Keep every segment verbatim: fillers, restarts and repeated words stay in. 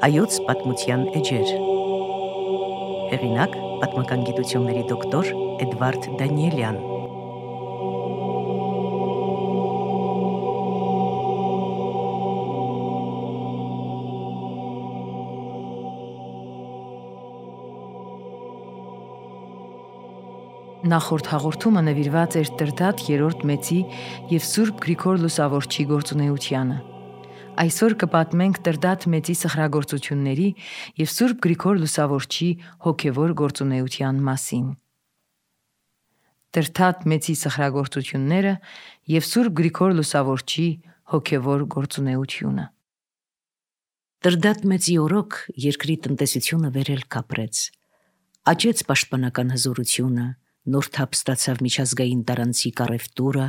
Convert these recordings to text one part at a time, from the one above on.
Հայոց պատմության էջեր։ Հեղինակ՝ պատմական գիտությունների դոկտոր Էդվարդ Դանիելյան։ Նախորդ հաղորդումը նվիրված էր Տրդատ երրորդ մեծի և Սուրբ Գրիգոր Լուսավորչի գործունեությանը։ Այսօր կպատմենք Տրդատ մեծի սխրագործությունների և Սուրբ Գրիգոր Լուսավորչի հոգևոր գործունեության մասին։ Տրդատ մեծի սխրագործությունները և Սուրբ Գրիգոր Լուսավորչի հոգևոր գործունեությունը։ Տրդատ մեծի օրոք երկրի տնտեսությունը վերել կապրեց, աճեց պաշտպանական հզորությունը, նոր թափ ստացավ միջազգային տարանցիկ առևտուրը,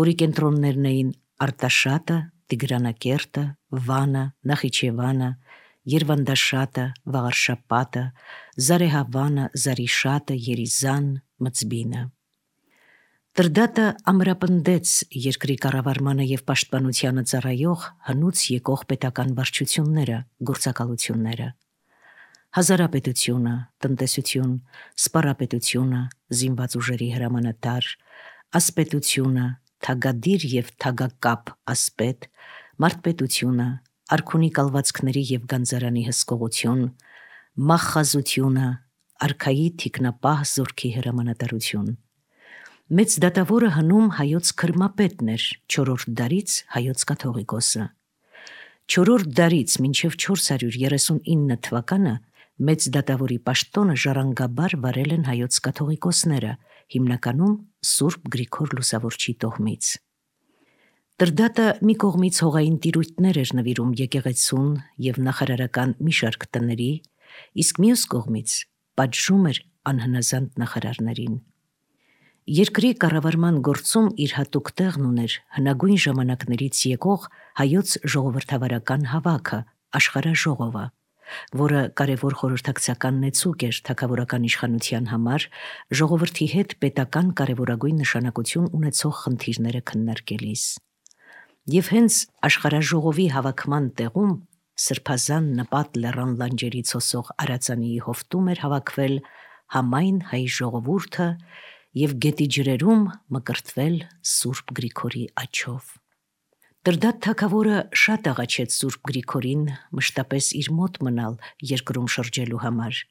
որի կենտրոններն էին Արտաշատը, Տիգրանակերտը, Վանը, Նախիջևանը, Երվանդաշատը, Վաղարշապատը, Զարեհավանը, Զարիշատը, Երիզան, Մծբինը։ Տրդատը ամրապնդեց երկրի կառավարմանը և պաշտպանությանը ծառայող հնուց եկող պետական վարչությունները, գործակալությունները։ Հազարապետությունը, տնտեսություն, սպառապետությունը, զինված ուժերի հրամանատար, ասպետությունը, թագադիր և թագակապ ասպետ, մարդպետությունը, արքունի կալվածքների և գանձարանի հսկողություն, մախխազությունը, արքայի թիկնապահ զորքի հրամանատարություն։ Մեծ դատավորը հնում հայոց քրմապետն էր, չորրորդ դարից հայոց կաթողիկոսը։ Չորրորդ դարից մինչև չորս հարյուր երեսունինը թվականը մեծ դատավորի պաշտոնը ժառանգաբար վարել են հայոց կաթողիկոսները, հիմնականում Սուրբ Գրիգոր Լուսավորչի տոհմից։ Տրդատը մի կողմից հողային տիրույթներ էր նվիրում եկեղեցուն և նախարարական մի շարք տների, իսկ մյուս կողմից պատժում էր անհնազանդ նախարարներին։ Երկրի կառավարման գործում իր հատուկ տեղն ուներ հնագույն ժամանակներից եկող հայոց ժողովրդավարական հավաքը, աշխարհաժողովը, որը կարևոր խորհրդակցական նեցուկ էր թագավորական իշխանության համար, ժողովրդի հետ պետական կարևորագույն նշանակություն ունեցող խնդիրները քննարկելիս։ Եվ հենց աշխարհաժողովի հավաքման տեղում սրբազան նպատ լեռան լանջերից հոսող Արածանիի հովտում էր հավաքվել համայն հայ ժողովուրդը և գետի ջրերում մկրտվել Սուրբ Գրիգորի աջով։ Տրդատ թագավորը շատ աղաչեց Սուրբ Գրիգորին մշտապես իր մոտ մնալ երկրում շրջելու համար,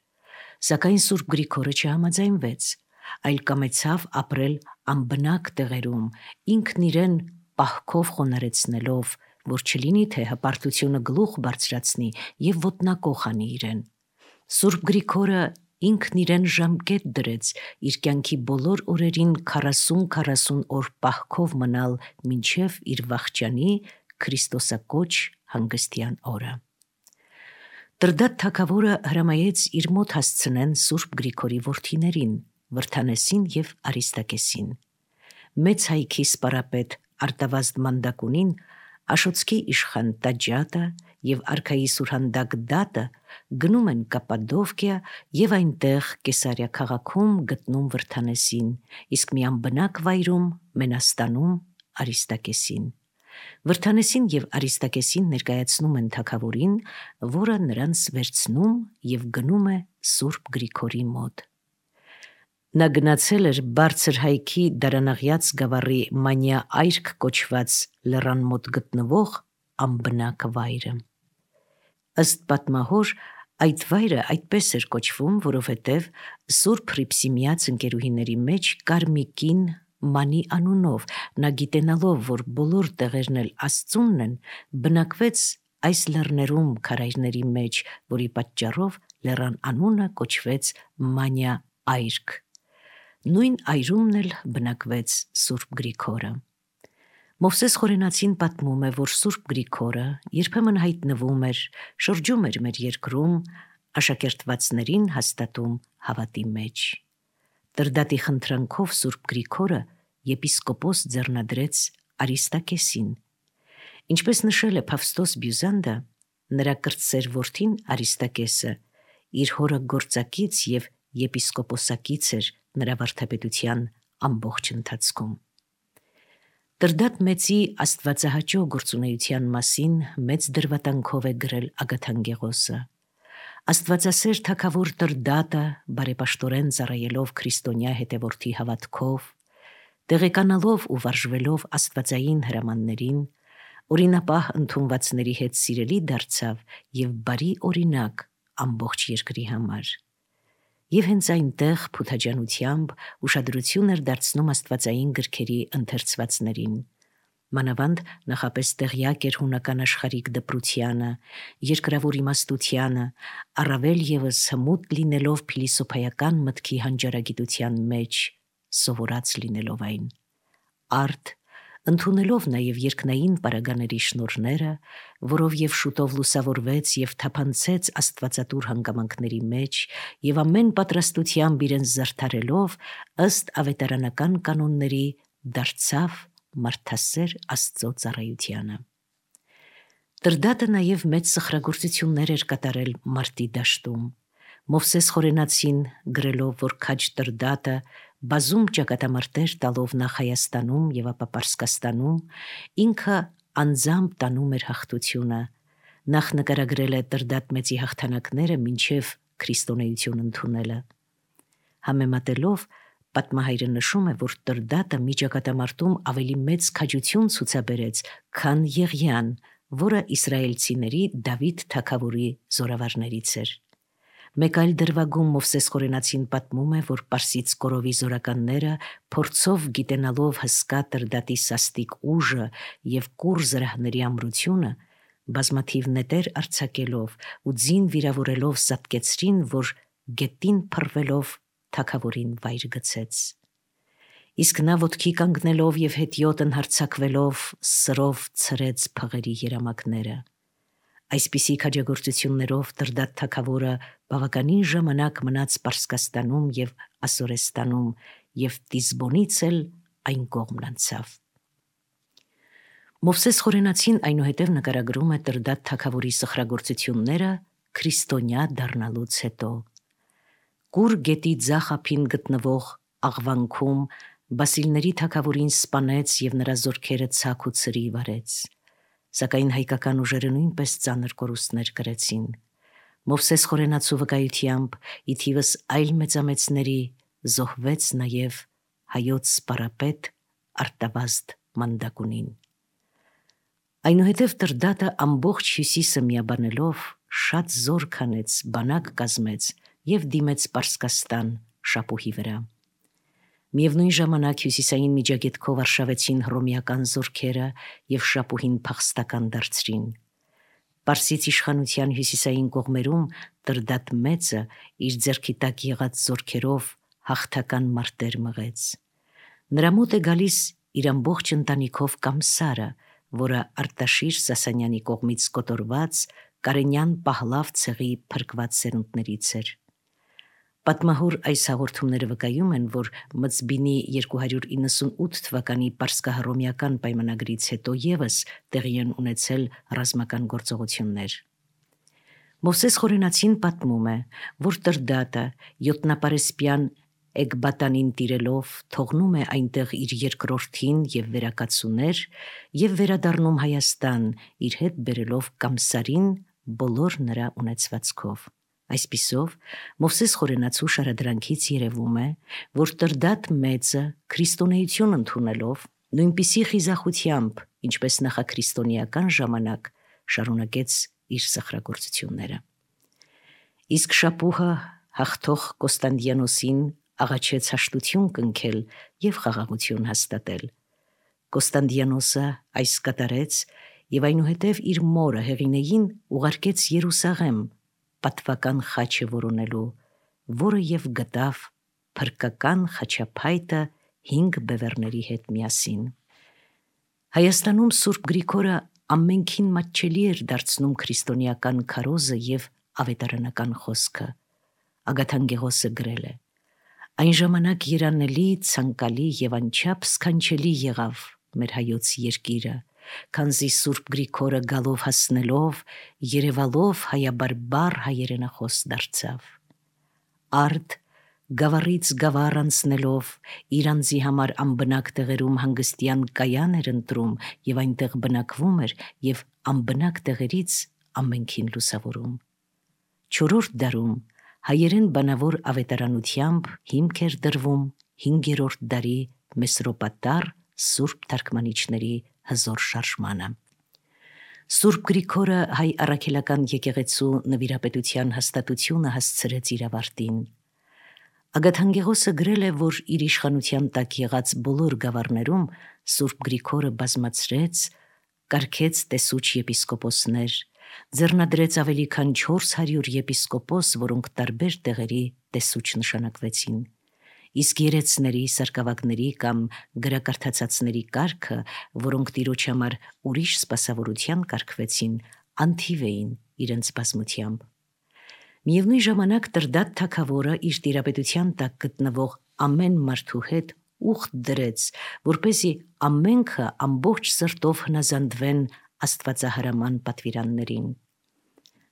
սակայն Սուրբ Գրիգորը չհամաձայնվեց, այլ կամեցավ ապրել անբնակ տեղերում, ինքն իրեն պահքով խոնարհեցնելով, որ չլինի թե հպարտությունը գլուխ բարձրացնի և ոտնակոխ անի իրեն։ Սուրբ Գրիգորը ինքն իրեն ժամկետ դրեց իր կյանքի բոլոր օրերին քառասուն-քառասուն օր պահքով մնալ մինչև իր վախճանի քրիստոսակոչ հանգստյան օրը։ Տրդատ թագավորը հրամայեց իր մոտ հասցնեն Սուրբ Գրիգորի որդիներին՝ Վրդանեսին և Արիստակեսին։ Մեծ հայքի սպառապետ Արտավազդ Մանդակունին, Աշոտսկի իշխան Տաճատը և արքայի սուրհանդակ Դատը գնում են Կապադովկիա և այնտեղ Կեսարիա քաղաքում գտնում Վրդանեսին, իսկ մի անբնակ վայրում Մենաստանում Արիստակեսին։ Վրդանեսին և Արիստակեսին ներկայացնում են թագավորին, որը նրանց վերցնում և գնում է Սուրբ Գրիգորի մոտ։ Նա գնացել էր բարձր հայքի Դարանաղյաց գավառի Մանյա այրք կոչված լեռան մոտ գտնվող անբնակ վայրը։ Ըստ պատմահոր, այդ վայրը այդպես էր կոչվում, որովհետև Սուրբ Հռիփսիմեաց ընկերուհիների մեջ կար մի կին Մանի անունով, նա գիտենալով, որ բոլոր տեղերն էլ Աստծունն են, բնակվեց այս լեռներում քարայրների մեջ, որի պատճառով լեռան անունը կոչվեց Մանյա այրք։ Նույն այրումն էլ բնակվեց Սուրբ Գրիգորը։ Մովսես Խորենացին պատմում է, որ Սուրբ Գրիգորը երբեմն հայտնվում էր, շրջում էր մեր երկրում, աշակերտվածներին հաստատում հավատի մեջ։ Տրդատի խնդրանքով Սուրբ Գրիգորը եպիսկոպոս ձեռնադրեց Արիստակեսին։ Ինչպես նշել է Փավստոս Բյուզանդը, նրա կրտսեր որդին Արիստակեսը իր հորը գործակից և եպիսկոպոսակից էր նրա վարդապետության ամբողջ ընթացքում։ Տրդատ մեծի աստվածահաճո գործունեության մասին մեծ դրվատանքով է գրել Ագաթան Գեղոսը։ Աստվածասեր թագավոր Տրդատը բարեպաշտորեն ծառայելով քրիստոնյա հետևորդի հավատքով, տեղեկանալով ու վարժվելով աստվածային հրամաններին, օրինապահ ընդունվածների հետ սիրելի դարձավ եւ բարի օրինակ ամբողջ երկրի համար։ Եվ հենց այնտեղ փութաջանությամբ ուշադրություն էր դարձնում աստվածային գրքերի ընթերցվածներին։ Մանավանդ նախապես տեղյակ էր հունական աշխարհիկ դպրությանը, երկրավոր իմաստությանը, առավել ևս հմուտ լինելով փիլիսոփայական մտքի հանճարագիտության մեջ, սովորած լինելով այն։ Արդ, ընդունելով նաև երկնային պարագաների շնորհները, որով եւ շուտով լուսավորվեց եւ թափանցեց աստվածատուր հանգամանքների մեջ եւ ամեն պատրաստությամբ իրենց զարդարելով ըստ ավետարանական կանոնների դարձավ մարդասեր Աստծո ծառայությանը։ Տրդատը նաև մեծ սխրագործություններ էր կատարել մարտի դաշտում։ Մովսես Խորենացին գրելով, որ քաջ Տրդատը բազում ճակատամարտեր տալով նախ Հայաստանում եւ ապա Պարսկաստանում, ինքը անձամբ տանում էր հաղթությունը։ Նախ նկարագրել է Տրդատ մեծի հաղթանակները մինչև քրիստոնեություն ընդունելը։ Համեմատելով, պատմահայրը նշում է, որ Տրդատը մի ճակատամարտում ավելի մեծ քաջություն ցուցաբերեց, քան Եղիան, որը իսրայելցիների Դավիթ թագավորի զորավարներից էր։ Մեկ այլ դրվագում Մովսես Խորենացին պատմում է, որ Պարսից կորովի զորականները փորձով գիտենալով հսկա Տրդատի սաստիկ ուժը եւ կուռ զրահների ամրությունը, բազմաթիվ նետեր արձակելով ու ձին վիրավորելով սատկեցրին, որ գետին փռվելով թագավորին վայր գցեց։ Իսկ նա ոտքի կանգնելով եւ հետիոտ ընհարցակվելով սրով ցրեց փղերի երամակները։ Այսպիսի քաջագործություններով Տրդատ թագավորը բավականին ժամանակ մնաց Պարսկաստանում եւ Ասորեստանում եւ Տիզբոնից էլ այն կողմն անցավ։ Մովսես Խորենացին այնուհետև նկարագրում է Տրդատ թագավորի սխրագործությունները քրիստոնյա դառնալուց հետո։ Կուր գետի ձախ ափին գտնվող աղվանքում Բասիլների թագավորին սպանեց եւ նրա զորքերը ցակ ու ցրի վարեց։ Սակայն հայկական ուժերը նույնպես ծանր կորուստներ կրեցին։ Մովսես Խորենացու վկայությամբ ի թիվս այլ մեծամեծների զոհվեց նաև հայոց սպարապետ Արտավազդ Մանդակունին։ Այնուհետև Տրդատը ամբողջ հյուսիսը միաբանելով շատ զոր քանեց, բանակ կազմեց եւ դիմեց Պարսկաստան շապուհի վրա։ Միևնույն ժամանակ հյուսիսային միջագետքով արշավեցին հռոմեական զորքերը եւ շապուհին փախստական դարձրին։ Պարսից իշխանության հյուսիսային կողմերում Տրդատ մեծը իր ձեռքի տակ եղած զորքերով հաղթական մարտեր մղեց։ Նրա մոտ է գալիս իր ամբողջ ընտանիքով Կամսարը, որը Արտաշիր Սասանյանի կողմից կոտորված Կարենյան Պահլավ ցեղի փրկված սերունդներից էր։ Պատմահոր այս հաղորդումները վկայում են, որ Մծբինի երկու հարյուր իննսունութ թվականի պարսկահռոմեական պայմանագրից հետո եւս տեղի են ունեցել ռազմական գործողություններ։ Մովսես Խորենացին պատմում է, որ Տրդատը յոտնապարեսպյան Էկբատանին տիրելով թողնում է այնտեղ իր երկրորդին եւ վերակացուներ եւ վերադառնում Հայաստան, իր հետ բերելով Կամսարին բոլոր նրա ունեցվածքով։ Այսպիսով Մովսես Խորենացու շարադրանքից երևում է, որ Տրդատ մեծը քրիստոնեություն ընդունելով նույնպիսի խիզախությամբ, ինչպես նախաքրիստոնեական ժամանակ, շարունակեց իր սխրագործությունները։ Իսկ շապուհը հաղթող Կոստանդիանոսին աղաչեց հաշտություն կնքել եւ խաղաղություն հաստատել։ Կոստանդիանոսը այս կատարեց եւ այնուհետև իր մորը Հեղինեին ուղարկեց Երուսաղեմ պատվական խաչը որոնելու, որը եւ գտավ փրկական խաչափայտը հինգ բևեռների հետ միասին։ Հայաստանում Սուրբ Գրիգորը ամենքին մատչելի էր դարձնում քրիստոնեական քարոզը եւ ավետարանական խոսքը։ Ագաթան Գեղոսը գրել է. Այն ժամանակ երանելի, ցանկալի եւ անչափ սքանչելի եղավ մեր հայոց երկիրը, քանզի Սուրբ Գրիգորը գալով հասնելով, երևալով հայաբարբար հայերենախոս դարձավ։ Արդ գավառից գավառ անցնելով իր անձի համար անբնակ տեղերում հանգստյան կայան էր ընտրում եւ այնտեղ բնակվում էր եւ անբնակ տեղերից ամենքին լուսավորում։ Չորրորդ դարում հայերեն բանավոր ավետարանությամբ հիմք էր դրվում հինգերորդ դարի մեսրոպատար սուրբ թարգմանիչների հզոր շարժմանը։ Սուրբ Գրիգորը հայ առաքելական եկեղեցու նվիրապետության հաստատությունը հասցրեց իր ավարտին։ Ագաթանկեղոսը գրել է, որ իր իշխանության տակ եղած բոլոր գավառներում Սուրբ Գրիգորը բազմացրեց, կարգեց տեսուչ եպիսկոպոսներ, ձեռնադրեց ավելի քան չորս հարյուր եպիսկոպոս, որոնք տարբեր տեղերի տեսուչ նշանակվեցին։ Իսկ երեցների, սարկավագների կամ գրակարդացածների կարգը, որոնք տիրոջ համար ուրիշ սպասավորության կարգվեցին, անթիվ էին իրենց բազմությամբ։ Միևնույն ժամանակ Տրդատ թագավորը իր տիրապետության տակ գտնվող ամեն մարդու հետ ուխտ դրեց, որպեսզի ամենքը ամբողջ սրտով հնազանդվեն աստվածահրաման պատվիրաններին։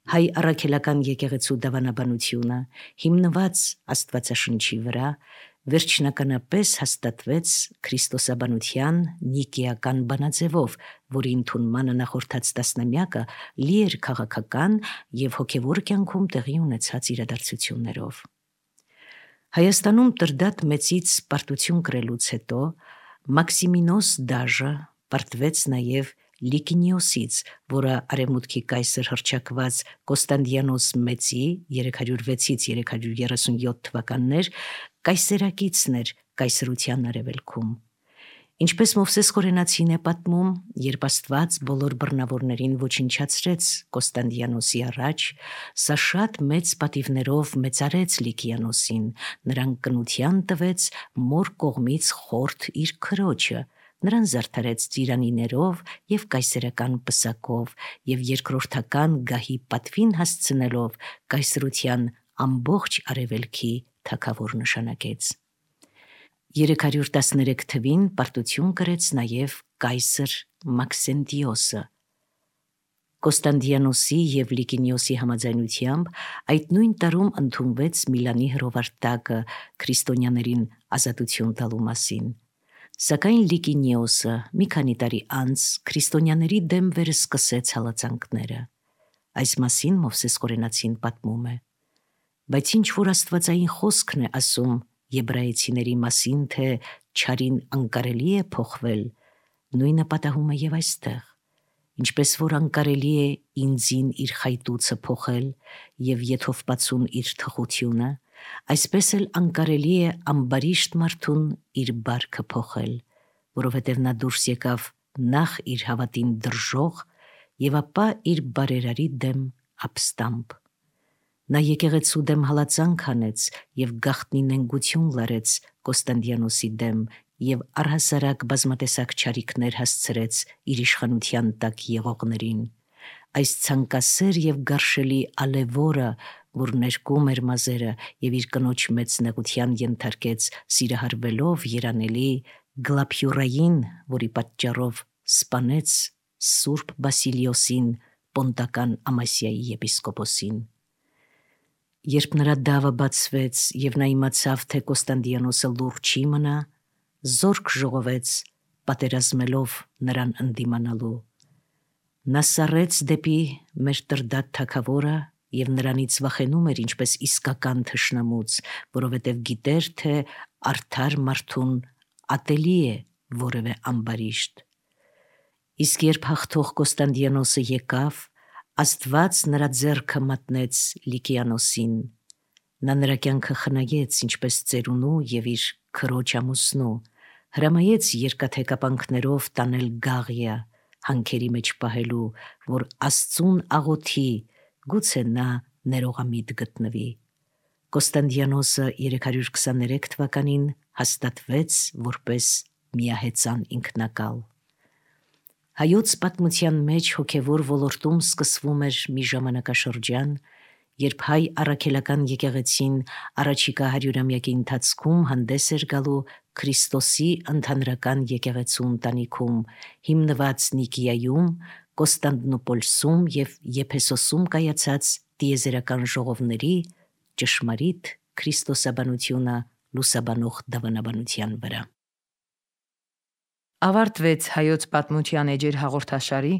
Հայ առաքելական եկեղեցու դավանաբանությունը, հիմնված Աստվածաշնչի վրա, վերջնականապես հաստատվեց քրիստոսաբանության նիկեական բանաձևով, որի ընդունմանը նախորդած տասնամյակը լի էր քաղաքական եւ հոգեվոր կյանքում տեղի ունեցած իրադարձություններով։ Հայաստանում Տրդատ մեծից պարտություն կրելուց հետո Մաքսիմինոս դաժը պարտվեց նաեւ Լիկինիոսից, որը արևմուտքի կայսր հռչակված Կոստանդիանոս մեծի երեք հարյուր վեցից երեք հարյուր երեսունյոթ թվականներ կայսերակիցն էր կայսրության արևելքում։ Ինչպես Մովսես Կորենացին է պատմում, երբ Աստված բոլոր բռնավորներին ոչնչացրեց Կոստանդիանոսի առաջ, սա շատ մեծ պատիվներով մեծարեց Լիկիանոսին, նրան կնության տվեց մոր կողմից խորթ իր քրոջը, նրան զարդարեց ծիրանիներով եւ կայսերական պսակով եւ երկրորդական գահի պատվին հասցնելով կայսրության ամբողջ արևելքի թագավոր նշանակեց։ երեք հարյուր տասներեք թվին պարտություն կրեց նաեւ կայսր Մաքսենտիոսը։ Կոստանդիանոսի եւ Լիկինիոսի համաձայնությամբ այդ նույն տարում ընդունվեց Միլանի հրովարտակը քրիստոնյաներին ազատություն տալու մասին։ Սակայն Լիկինիոսը մի քանի տարի անց քրիստոնյաների դեմ վերսկսեց հալածանքները։ Այս մասին Մովսես Կորենացին պատմում է. բայց ինչ որ աստվածային խոսքն է ասում եբրայեցիների մասին, թե չարին անկարելի է փոխվել, նույնը պատահում է եւ այստեղ, ինչպես որ անկարելի է ինձին իր խայտուցը փոխել եւ եթովպացուն իր թխությունը, այսպես էլ անկարելի է ամբարիշտ մարդուն իր բարքը փոխել, որովհետև նա դուրս եկավ նախ իր հավատին դրժող եւ ապա իր բարերարի դեմ ապստամբ։ Նա եկեղեցու դեմ հալածանք անեց եւ գաղտնի նենգություն լարեց Կոստանդիանոսի դեմ եւ առհասարակ բազմատեսակ չարիքներ հասցրեց իր իշխանության տակ եղողներին։ Այս ցանկասեր եւ գարշելի ալևորը, որ ներկում էր մազերը եւ իր կնոջ մեծ նեղության ենթարկեց սիրահարվելով երանելի Գլափյուրային, որի պատճառով սպանեց Սուրբ Բասիլիոսին, Պոնտական Ամասիայի եպիսկոպոսին։ Երբ նրա դավը բացվեց եւ նա իմացավ, թե Կոստանդիանոսը լուրջ չի մնա, զորք ժողովեց պատերազմելով նրան ընդդիմանալու։ Նա սառեց դեպի մեր Տրդատ թագավորը եւ նրանից վախենում էր ինչպես իսկական թշնամուց, որովհետեւ գիտեր, թե արդար մարդուն ատելի է որևէ ամբարիշտ։ Իսկ երբ հաղթող Կոստանդիանոսը եկավ, Աստված նրա ձեռքը մատնեց Լիկիանոսին։ Նա նրա կյանքը խնայեց ինչպես ծերունու եւ իր քրոջ ամուսնու, հրամայեց երկաթե կապանքներով տանել Գաղիա, հանքերի մեջ պահելու, որ Աստծուն աղոթի, գուցե նա ներողամիտ գտնվի։ Կոստանդիանոսը երեք հարյուր քսաներեք թվականին հաստատվեց որպես միահեծան ինքնակալ։ Հայոց պատմության մեջ հոգևոր ոլորտում սկսվում էր մի ժամանակաշրջան, երբ հայ առաքելական եկեղեցին առաջիկա հարյուրամյակի ընթացքում հանդես էր գալու Քրիստոսի ընդհանրական եկեղեցու ընտանիքում, հիմնված Նիկիայում, Կոստանդնուպոլսում եւ Եփեսոսում կայացած տիեզերական ժողովների ճշմարիտ քրիստոսաբանությունը լուսաբանող դավանաբանության վրա։ Ավարտվեց հայոց պատմության էջեր հաղորդաշարի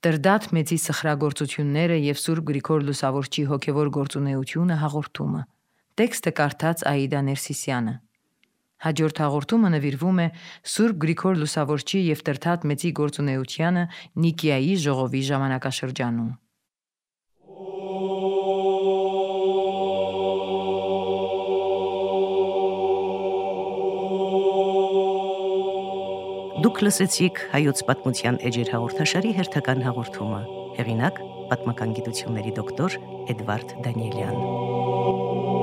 Տրդատ մեծի սխրագործությունները եւ Սուրբ Գրիգոր Լուսավորչի հոգեվոր գործունեությունը հաղորդումը։ Տեքստը կարդաց Աիդա Ներսիսյանը։ Հաջորդ հաղորդումը նվիրվում է Սուրբ Գրիգոր Լուսավորչի եւ Տրդատ մեծի գործունեությանը Նիկիայի ժողովի ժամանակաշրջանում։ Դուք լսեցիք հայոց պատմության էջեր հաղորդաշարի հերթական հաղորդումը։ Հեղինակ՝ պատմական գիտությունների դոկտոր Էդվարդ Դանիելյան։